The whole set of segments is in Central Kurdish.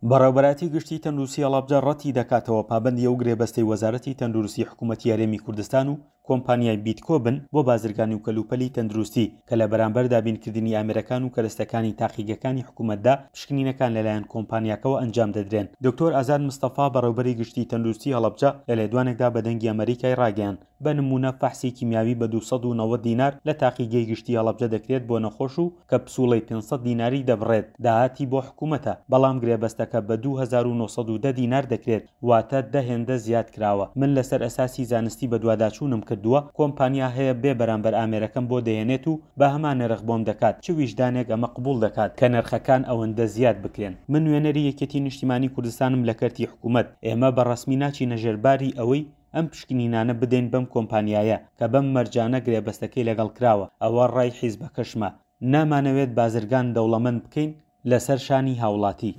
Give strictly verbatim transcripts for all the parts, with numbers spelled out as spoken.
بەڕێوەبەرایەتی گشتی تەندروستی هەڵەبجە ڕەتی دەکاتەوە پابەندی ئەو گرێبەستەی وەزارەتی تەندروستی حکوومەتی هەرێمی کوردستان و کۆمپانیای بیتکۆ بن بۆ بازرگانی و کەلوپەلی تەندروستی کە لە بەرامبەر دابینکردنی ئامێرەکان و کەرەستەکانی تاقیگەکانی حکوومەتدا پشکنینەکان لەلایەن کۆمپانیاکەوە ئەنجام دەدرێن. دکتۆر ئازاد مستەفا بەڕێوبەری گشتی تەندروستی هەڵەبجە لە لێدوانێکدا بە دەنگی ئەمەریکای ڕاگەیاند، بە نموونە فەحسی کیمیاوی بە دوو سەد و نەوەد دینار لە تاقیگەی گشتی هەڵەبجە دەکرێت بۆ نەخۆش و کە پسوڵەی پێنج سەد دیناری دەبڕێت داهاتی بۆ حکوومەتە، بەڵام گرێبەستەکە بە دوو هەزار و نۆ سەد و دە دینار دەکرێت، واتە دە هێندە زیاد کراوە. من لەسەر ئەساسی زانستی بەدواداچوونم کردووە، کۆمپانیا هەیە بێ بەرامبەر ئامێرەکەم بۆ دەهێنێت و بە هەمان نرخ بۆم دەکات، چ ویژدانێک ئەمە قبوڵ دەکات کە نرخەکان ئەوەندە زیاد بکرێن؟ من نوێنەری یەکێتی نیشتیمانی کوردستانم لە کەرتی حکوومەت، ئێمە بە ڕەسمی ناچینە ژێرباری ئەوەی ئەم پشکنینانە بدەین بەم کۆمپانیایە کە بەم مەرجانە گرێبەستەکەی لەگەڵ کراوە، ئەوە ڕای حیزبەکەشمە. نامانەوێت بازرگان دەوڵەمەند بکەین لەسەر شانی هاوڵاتی.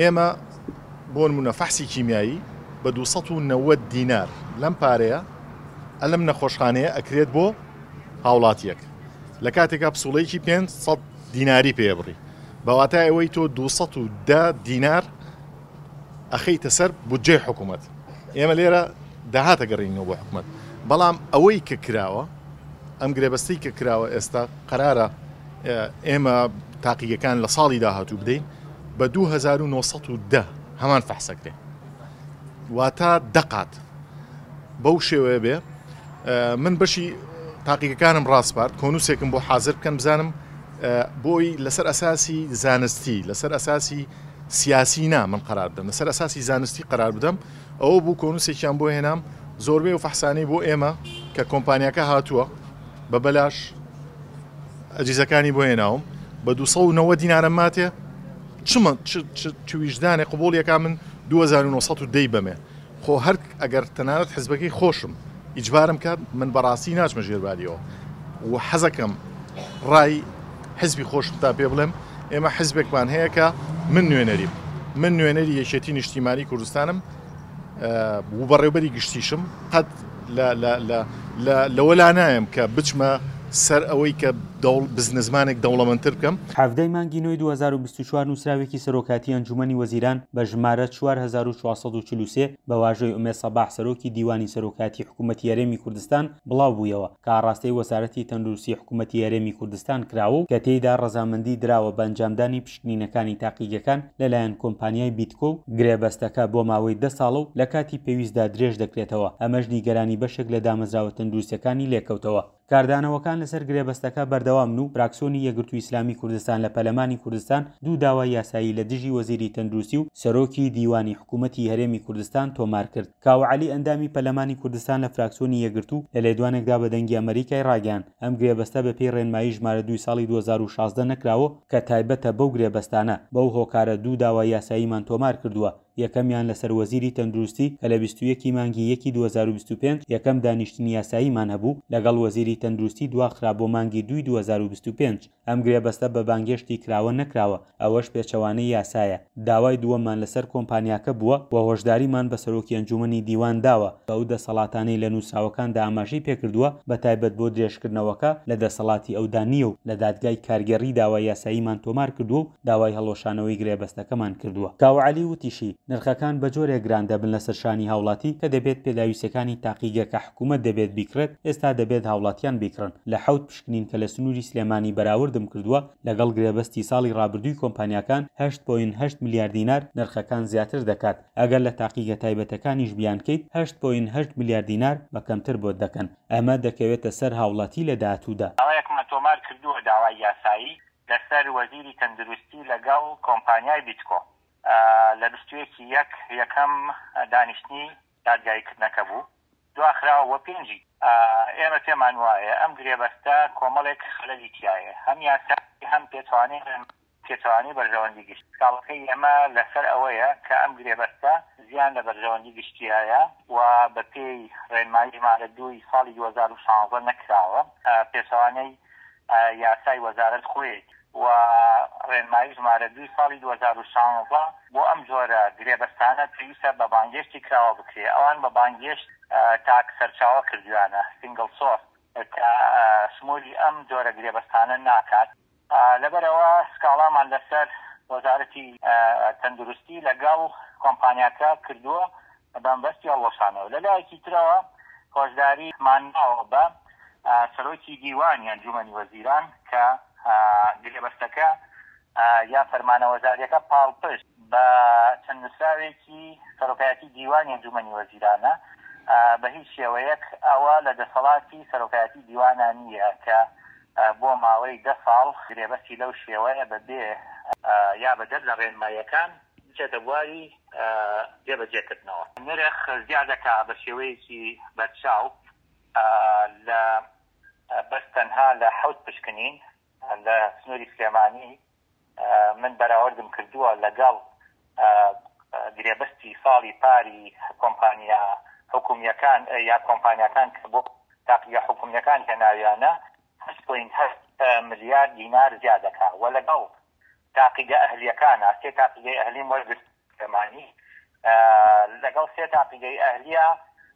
ئێمە بۆ نمونە فەحسی کیمیایی بە دوو سەد و نەوەد دینار لەم پارەیە ئەلم نەخۆشخانەیە ئەکرێت بۆ هاوڵاتیەک، لە کاتێکا پسوڵەیەکی پێنج سەد دیناری پێبڕی، بە واتای ئەوەی تۆ دوو سەد و دە دینار ئەخەیتە سەر بودجەی حکوومەت. ئێمە لێرە داهاتە گەڕینەوە بۆ حکوومەت، بەڵام ئەوەی کە کراوە، ئەم گرێبەستی کە کراوە ئێستا قەرارە ئێمە تاقیگەکان لە ساڵی داهاتوو بدەین بە دوو هەزار و نۆ سەد و دە هەمان فەحسەکرێ، واتە دەقات بەو شێوەیە بێ. من بەشی تاقیگەکانم ڕاسپارد کۆنووسێکم بۆ حاضر بکەن بزانم بۆی لەسەر ئەساسی زانستی، لەسەر ئەساسی سیاسی نا من قرار بدەم، لەسەر ئەساسی زانستی قرار بدەم. ئەوە بوو کۆنووسێکیان بۆ هێنام، زۆربەی و فەحسانەی بۆ ئێمە کە کۆمپانیاکە هاتووە بە بەلاش ئەجیزەکانی بۆ هێناوم بە دوو سەد و نەوەد دینارم ماتێ، چمە چ ویژدانێ قبوڵیەکە من دوو هەزار و نۆ سەد و دەی بەمێ. خۆ هەر ئەگەر تەنانەت حزبەکەی خۆشم ئیجبارم کات من بەڕاستی ناچمە ژێرباریەوە و حەزەکەم ڕای حزبی خۆشم تا پێ بڵێم ئێمە حزبێکمان هەیە کە من نوێنەریم، من نوێنەری یەکێتی نیشتیمانی کوردستانم و بەڕێوبەری گشتیشم، قەت لەوە لا نایم کە بچمە سەر ئەوەی کە بزنسمانێک دەوڵەمەندتر بکەم. حەڤدەی مانگی نۆی دوو هەزار و بیست و چوار نووسراوێکی سەرۆکاتی ئەنجومەنی وەزیران بە ژمارە چوار هەزار و چوار سەد و چل و سێ بە واژۆی ئومێد سەباح سەرۆکی دیوانی سەرۆکاتی حکوومەتی هەرێمی کوردستان بڵاو بوویەوە کە ئاڕاستەی وەزارەتی تەندروستی حکوومەتی هەرێمی کوردستان کراوە و کە تێیدا ڕەزامەندی دراوە بە ئەنجامدانی پشکنینەکانی تاقیگەکان لەلایەن کۆمپانیای بیتکۆ و گرێبەستەکە بۆ ماوەی دە ساڵە و لە کاتی پێویستدا درێژ دەکرێتەوە. ئەمەش نیگەرانی بەشێک لە دامەزراوە تەندروستیەکانی لێکەوتەوە. کاردانەوەکان لەسەر گرێبەستەکە بەردەوامن و فراکسیۆنی یەکگرتوو ئیسلامی کوردستان لە پەرلەمانی کوردستان دوو داوای یاسایی لە دژی وەزیری تەندروستی و سەرۆکی دیوانی حکوومەتی هەرێمی کوردستان تۆمار کرد. کاوە عەلی ئەندامی پەرلەمانی کوردستان لە فراکسیۆنی یەکگرتوو لە لێدوانێکدا بە دەنگی ئەمریکای ڕاگەیاند ئەم گرێبەستە بە پێی ڕێنمایی ژمارە دووی ساڵی دوو هەزار و شازدە نەکراوە کە تایبەتە بەو گرێبەستانە، بەو هۆکارە دوو داوای یاساییمان تۆمار کردووە. یەکەمیان لەسەر وەزیری تەندروستی کە لە بیست و یەک مانگی یەکی دوو هەزار و بیست و پێنج یەکەم دانیشتنی یاساییمان هەبوو لەگەڵ وەزیری تەندروستی دواخرا بۆ مانگی دووی دوو هەزار و بیست و پێنج. ئەم گرێبەستە بە بانگێشتی کراوە نەکراوە، ئەوەش پێچەوانەی یاسایە. داوای دووەممان لەسەر کۆمپانیاکە بووە و هۆشداریمان بە سەرۆکی ئەنجومەنی دیوان داوە کە ئەو دەسەڵاتانەی لە نووسراوەکاندا ئاماژەی پێکردووە بە تایبەت بۆ درێژکردنەوەکە لە دەسەڵاتی ئەودا نییە و لە دادگای کارگێڕی داوای یاساییمان تۆمار کردووە و داوای هەڵوەشانەوەی گرێبەستەکەمان کردووە. کاوە عەلی وتیشی نرخەکان بە جۆرێک گران دەبن لەسەر شانی هاوڵاتی کە دەبێت پێداویستەکانی تاقیگە کە حکوومەت دەبێت بیکڕێت ئێستا دەبێت هاوڵاتیان بیکڕن. لە حەوت پشکنین کە لە سنووری سلێمانی بەراوردم کردووە لەگەڵ گرێبەستی ساڵی ڕابردووی کۆمپانیاکان هەشت پۆینت هەشت ملیار دینار نرخەکان زیاتر دەکات. ئەگەر لە تاقیگە تایبەتەکانیش بیانکەیت هەشت پۆینت هەشت ملیار دینار بە کەمتر بۆت دەکەن. ئەمە دەکەوێتە سەر هاوڵاتی لە داهاتوودا. داوایەکمان تۆمار کردووە، داوای یاسایی لەسەر وەزیری تەندروستی لەگەڵ کۆمپانیای بیتکۆ لە بیست و یەکی یەک یەکەم دانیشتنی دادگاییکردنەکە بوو، دواخراوە بۆ پێنجی. ئێمە پێمان وایە ئەم گرێبەستە کۆمەڵێک خەلەلی تایە، هەم یاسایی هەم پێچوانەی پێچوانەی بەرژەوەندی گشتی. سکاڵەکەی ئێمە لەسەر ئەوەیە کە ئەم گرێبەستە زیان لە بەرژەوەندی گشتیایە و بە پێی ڕێنمایی ژمارە دووی ساڵی دوو هەزار و شازدە نەکراوە، پێچوانەی یاسای وەزارەت خۆیەتی و ڕێنمایی ژمارە دووی ساڵی دوو هەزار و شازدە بۆ ئەم جۆرە گرێبەستانە پێویستە بە بانگێشتی کراوە بکرێ. ئەوان بە بانگێشت تاک سەرچاوە کردویانە، single source، کە شمولی ئەم جۆرە گرێبەستانە ناکات. لەبەرەوە سکاڵامان لەسەر وەزارەتی تەندروستی لەگەڵ کۆمپانیاکە کردووە بەمبەستی هەڵوەشانەوە. لەلایەکی ترەوە هۆشداری ماناوە بە سەرۆکی دیوانی ئەنجومەنی وەزیران کە گرێبەستەکە یا فەرمانە وەزاریەکە پاڵپشت بە چەند نووسراوێکی سەرۆکایەتی دیوانی ئەنجومەنی وەزیرانە، بە هیچ شێوەیەک ئەوە لە دەسەڵاتی سەرۆکایەتی دیوانە نییە کە بۆ ماوەی دە ساڵ گرێبەستی لەو شێوەیە بەبێ یا بەدەر لە ڕێنماییەکان بچێتە بواری جێبەجێکردنەوە. نرخ زیادەکە بە شێوەیەکی بەرچاو لە بەس تەنها لە حەوت پشکنین لە سنووری سلێمانی من بەراوردم کردووە لەگەڵ گرێبەستی ساڵی پاری کۆمپانیا حکومیەکان یا کۆمپانیاکان کە بۆ تاقیگە حکومیەکان هێناویانە هەشت پۆینت هەشت ملیار دینار زیاد دەکا و لەگەڵ تاقیگە ئەهلیەکانە سێ تاقیگەی ئەهلیم وەرگرت سلێمانی، لەگەڵ سێ تاقیگەی ئەهلیە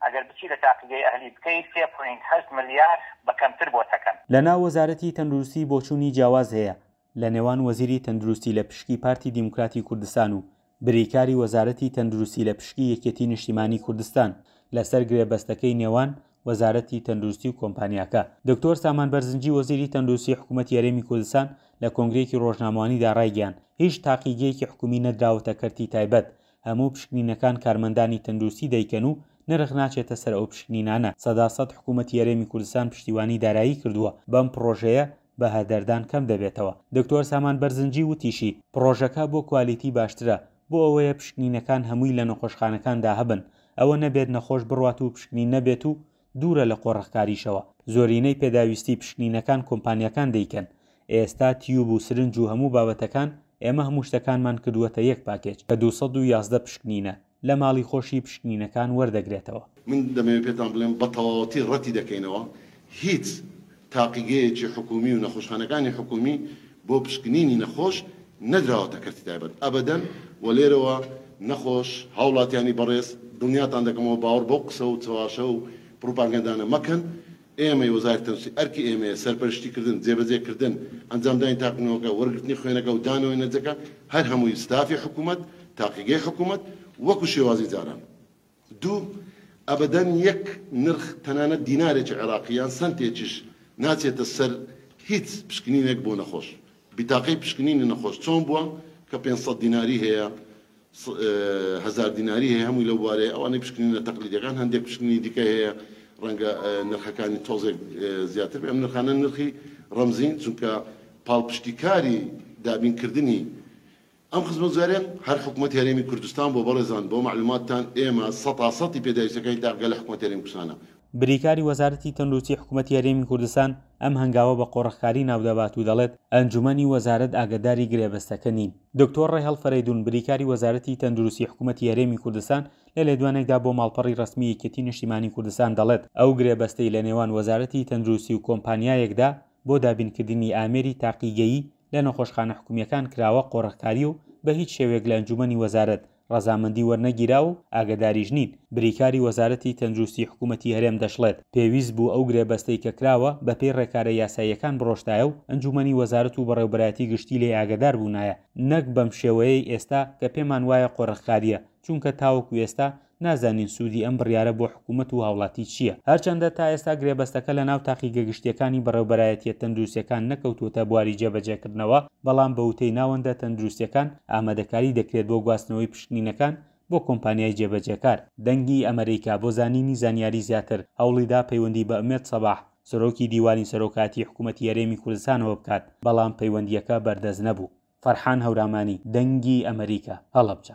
ئەگەر بچی لە تاقیگەی ئەهلی بکەی سێ پۆینت هەشت ملیار بە کەمتر بۆ تەکەن. لەناو وەزارەتی تەندروستی بۆچوونی جیاواز هەیە لە نێوان وەزیری تەندروستی لە پشکی پارتی دیموکراتی کوردستان و بریکاری وەزارەتی تەندروستی لە پشکی یەکێتی نیشتیمانی کوردستان لەسەر گرێبەستەکەی نێوان وەزارەتی تەندروستی و کۆمپانیاکە. دکتۆر سامان بەرزنجی وەزیری تەندروستی حکوومەتی هەرێمی کوردستان لە کۆنگرەیەکی ڕۆژنامەوانیدا ڕایگەیاند هیچ تاقیگەیەکی حکومی نەدراوەتە کەرتی تایبەت، هەموو پشکنینەکان کارمەندانی تەندروستی دەیکەن و نرخ ناچێتە سەر ئەو پشکنینانە. سەدا سەد حکوومەتی هەرێمی کوردستان پشتیوانی دارایی کردووە، بەم پڕۆژەیە بە هەدەردان کەم دەبێتەوە. دکتۆر سامان بەرزنجی وتیشی پڕۆژەکە بۆ کوالیتی باشترە، بۆ ئەوەیە پشکنینەکان هەمووی لە نەخۆشخانەکاندا هەبن، ئەوە نەبێت نەخۆش بڕوات و پشکنین نەبێت و دوورە لە قۆرخکاریشەوە. زۆرینەی پێداویستی پشکنینەکان کۆمپانیاکان دەیکەن. ئێستا تیوب و سرنج و هەموو بابەتەکان ئێمە هەموو شتەکانمان کردووەتە یەک پاکێج کە دوو سەد و یازدە پشکنینە لە ماڵی خۆشی پشکنینەکان وەردەگرێتەوە. من دەمەوێت پێتان بڵێم بە تەواوەتی ڕەتی دەکەینەوە هیچ تاقیگەیەکی حکومی و نەخۆشخانەکانی حکومی بۆ پشکنینی نەخۆش نەدراوەتە کەرتی تایبەت ئەبەدەن. و لێرەوە نەخۆش هاوڵاتیانی بەڕێز دڵنیاتان دەکەمەوە باوەڕ بەو قسە و چەواشە و پڕوپاگەندانە مەکەن. ئێمەی وەزارەتی تەندروستی ئەرکی ئێمەیە سەرپەرشتیکردن، جێبەجێکردن، ئەنجامدانی تاقینەوەکە، وەرگرتنی خوێنەکە و دانەوەی نەتیجەکە هەر هەمووی ستافی حکوومەت، تاقیگەی حکوومەت وەکو شێوازی جاران. دوو، ئەبەدەن یەک نرخ تەنانەت دینارێکی عێراقی یان سنتێکیش ناچێتە سەر هیچ پشکنینێک بۆ نەخۆش. بیتاقەی پشکنینی نەخۆش چۆن بووە کە پێنج سەد دیناری هەیە، هەزار دیناری هەیە، هەمووی لەو بوارەیە. ئەوانەی پشکنینە تەقلیدیەکان هەندێک پشکنینی دیکە هەیە ڕەنگە نرخەکانی تۆزێک زیاتر بێ. ئەم نرخانە نرخی ڕەمزین، چونکە پاڵپشتیکاری دابینکردنی ئەم خزمەتگوزاریە هەر حکوومەتی هەرێمی کوردستان بۆ بەڕێزان بۆ معلوماتتان ئێمە سەتا سەتی پێداویستیەکانی تاقیگە لە حکوومەتی هەرێمی کوردستانە. بریکاری وەزارەتی تەندروستی حکوومەتی هەرێمی کوردستان ئەم هەنگاوە بە قۆرخکاری ناودەبات و دەڵێت ئەنجومەنی وەزارەت ئاگاداری گرێبەستەکە نین. دکتۆر ڕێهەڵ فەرەیدون بریکاری وەزارەتی تەندروستی حکوومەتی هەرێمی کوردستان لە لێدوانێکدا بۆ ماڵپەڕی ڕەسمی یەکێتی نیشتیمانی کوردستان دەڵێت ئەو گرێبەستەی لە نێوان وەزارەتی تەندروستی و کۆمپانیایەکدا بۆ دابینکردنی ئامێری تاقیگەیی لە نەخۆشخانە حکومیەکان کراوە قۆرخکاری و بە هیچ شێوەیەک لە ئەنجومەنی وەزارەت ڕەزامەندی وەرنەگیرا و ئاگاداریش نین. بریکاری وەزارەتی تەندروستی حکوومەتی هەرێم دەشڵێت پێویست بوو ئەو گرێبەستەی کە کراوە بەپێی ڕێکارە یاساییەکان بڕۆشتایە و ئەنجومەنی وەزارەت و بەڕێوبەرایەتی گشتی لێ ئاگادار بوونایە، نەک بەم شێوەیەی ئێستا کە پێمان وایە قۆرخکاریە، چونکە تاوەکو ئێستا نازانین سوودی ئەم بڕیارە بۆ حکوومەت و هاوڵاتی چییە. هەرچەندە تا ئێستا گرێبەستەکە لە ناو تاقیگە گشتیەکانی بەڕێوبەرایەتیە تەندروستیەکان نەکەوتووەتە بواری جێبەجێکردنەوە، بەڵام بە وتەی ناوەندە تەندروستیەکان ئامادەکاری دەکرێت بۆ گواستنەوەی پشکنینەکان بۆ کۆمپانیای جێبەجێکار. دەنگی ئەمریکا بۆ زانینی زانیاری زیاتر هەوڵیدا پەیوەندی بە ئومێد سەباح سەرۆکی دیوانی سەرۆکاتی حکوومەتی هەرێمی کوردستانەوە بکات، بەڵام پەیوەندیەکە بەردەست نەبوو. فەرحان هەورامانی، دەنگی ئەمریکا، هەڵەبجە.